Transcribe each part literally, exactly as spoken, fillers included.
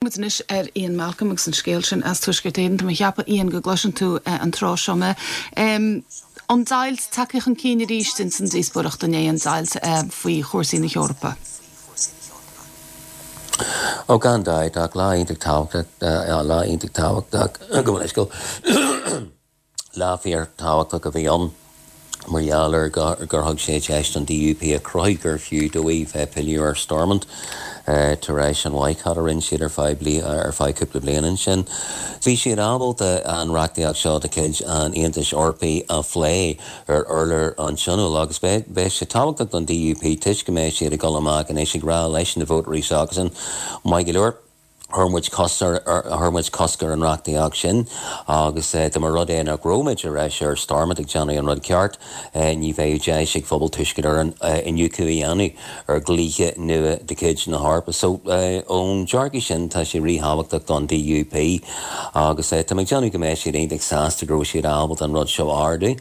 Muid anois ar Ian Malcolm agus an scéal sin as Tuaisceart Éireann. Tá mé ag ceapadh, Ian, go gcloiseann tú an tráth seo mé. An deighilt tagtha chun cinn arís ins an díospóireacht inné, an deighilt faoi chúrsaí na hEorpa. Ó, gan dabht, ach lá iontach tábhachtach, lá iontach tábhachtach go bhfuil lá fíor tábhachtach a bhí ann mar gheall ar gur thug sé deis don D U P a chruthú gur fiú dóibh bheith pilleadh ar Stormont tar éis an bhaghcat a rinne siad ar feadh ar feadh cúpla bliain ansin. Bhí siad ábalta an reachtaíocht seo de chuid an Aontais Eorpaigh a phlé ar urlár an Tionóil agus beidh sé tábhachtach don D U P toisc go mbeidh siad ag dul amach anois ag rá leis na vótóirí s'acusan, maith go leor, Chuir muid chuir muid cosc ar an reachtaíocht sin agus dá mba rud é nach raibh muid ar ais ar Stormont ag déanamh an rud ceart, ní bheadh deis ag phobal Tuaisceart Éireann iniúchadh a dhéanamh ar dhlíthe nua de chuid na hEorpa. So ón dearcadh sin tá sé ríthábhachtach don D U P agus tá mé ag déanamh go mbeidh siad iontach sásta go raibh siad ábalta an rud seo a ardú.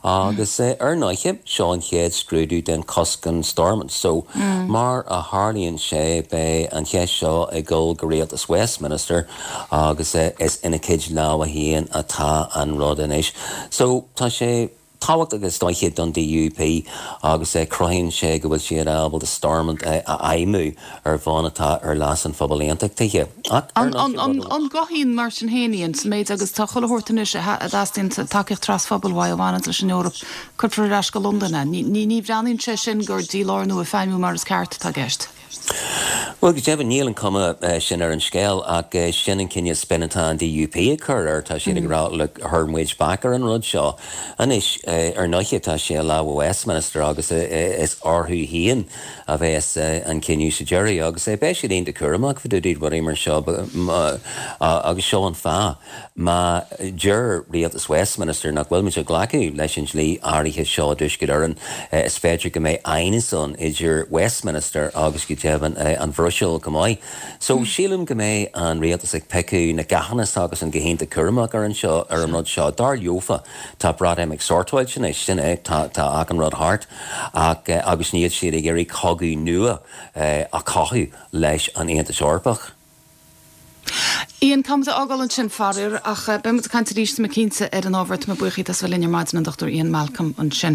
Agus ar ndóighe, seo an chéad scrúdú den cosc an Stormont. So mar a tharlaíonn sé, beidh an cheist seo ag dul go rialtas Westminster agus is ina cuid lámha féin atá an rud anois. So tá sé tábhachtach is dóiche don D U P agus cruthaíonn sé go bhfuil siad ábalta Stormont a fheidhmiú ar bhonn atá ar leas an phobail aontachtaithe. An gcothaíonn mar sin féin sa méid agus tá chuile shórt anois a dteastaíonn tacaíocht trasphobail uaidh a bhaineann leis an Eoraip, cuirfear ar ais go Londain é. Ní bhreathnaíonn sé sin gur dílárnú ag feidhmiú mar is ceart atá i gceist. Bhuel, go deimhin níl an cuma sin ar an scéal ach sin an cineál spin atá an D U P ag cur air. Tá siad ag rá, "Look, chuir muid bac ar an rud seo." Anois, ar ndóighe, tá sé i lámha Westminster agus is orthu féin a bheas an cinneadh sa deireadh agus beidh siad iontach cúramach fá dtaobh rudaí mar seo agus seo an fáth. Má deir rialtas Westminster nach bhfuil muid ag glacadh leis an dlí áirithe seo i dTuaisceart Éireann, is féidir go mbeidh aighneas ann idir Westminster agus go deimhin an Bhruiséil go maith. So sílim go mbeidh an rialtas ag piocadh na gcathanna agus an go hiontach cúramach ar an seo ar an rud seo. Dar leofa, tá Breatimeacht sortáilte anois, sin é, tá tá achan rud thart ach agus níl siad ag iarraidh cogadh nua a chothú leis an Aontas Eorpach. Ian, táimid ag fágáil ansin, faraor, ach beidh muid ag caint arís, tá mé cinnte, ar an ábhar. Tá mé buíoch as bheith linn ar maidin, an Dochtúir Ian Malcolm ansin.